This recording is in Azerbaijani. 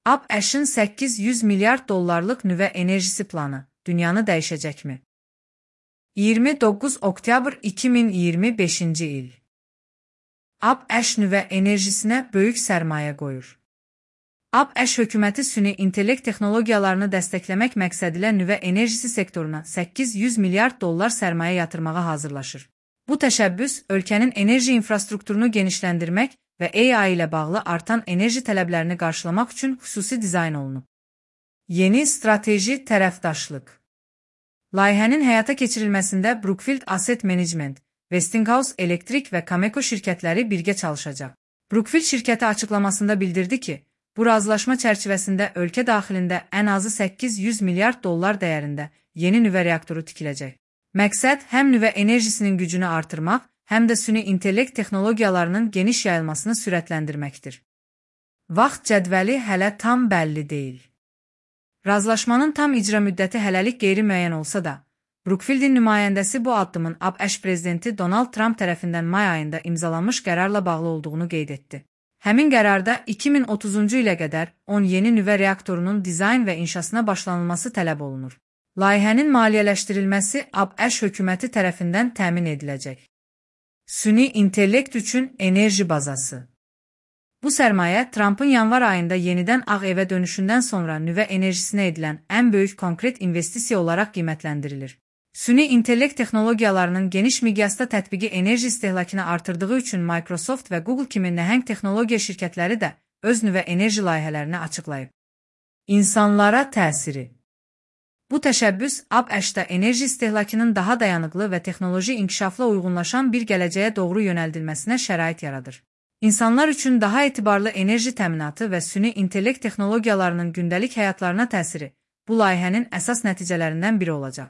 ABŞ-ın 800 milyard dollarlıq nüvə enerjisi planı dünyanı dəyişəcəkmi? 29 oktyabr 2025-ci il. ABŞ nüvə enerjisinə böyük sərmayə qoyur. ABŞ hökuməti süni intellekt texnologiyalarını dəstəkləmək məqsədilə nüvə enerjisi sektoruna 800 milyard dollar sərmayə yatırmağa hazırlaşır. Bu təşəbbüs ölkənin enerji infrastrukturunu genişləndirmək və AI ilə bağlı artan enerji tələblərini qarşılamaq üçün xüsusi dizayn olunub. Yeni strateji tərəfdaşlıq. Layihənin həyata keçirilməsində Brookfield Asset Management, Westinghouse Electric və Cameco şirkətləri birgə çalışacaq. Brookfield şirkəti açıqlamasında bildirdi ki, bu razılaşma çərçivəsində ölkə daxilində ən azı 800 milyard dollar dəyərində yeni nüvə reaktoru tikiləcək. Məqsəd həm nüvə enerjisinin gücünü artırmaq, həm də süni intellekt texnologiyalarının geniş yayılmasını sürətləndirməkdir. Vaxt cədvəli hələ tam bəlli deyil. Razılaşmanın tam icra müddəti hələlik qeyri-müəyyən olsa da, Brookfieldin nümayəndəsi bu addımın ABŞ prezidenti Donald Trump tərəfindən may ayında imzalanmış qərarla bağlı olduğunu qeyd etdi. Həmin qərarda 2030-cu ilə qədər 10 yeni nüvə reaktorunun dizayn və inşasına başlanılması tələb olunur. Layihənin maliyyələşdirilməsi ABŞ hökuməti tərəfindən təmin ediləcək. Süni intellekt üçün enerji bazası. Bu sərmayə Trumpın yanvar ayında yenidən Ağ Evə dönüşündən sonra nüvə enerjisinə edilən ən böyük konkret investisiya olaraq qiymətləndirilir. Süni intellekt texnologiyalarının geniş miqyasda tətbiqi enerji istehlakını artırdığı üçün Microsoft və Google kimi nəhəng texnologiya şirkətləri də öz nüvə enerji layihələrini açıqlayıb. İnsanlara təsiri. Bu təşəbbüs ABŞ-da enerji istehlakının daha dayanıqlı və texnoloji inkişafla uyğunlaşan bir gələcəyə doğru yönəldilməsinə şərait yaradır. İnsanlar üçün daha etibarlı enerji təminatı və süni intellekt texnologiyalarının gündəlik həyatlarına təsiri bu layihənin əsas nəticələrindən biri olacaq.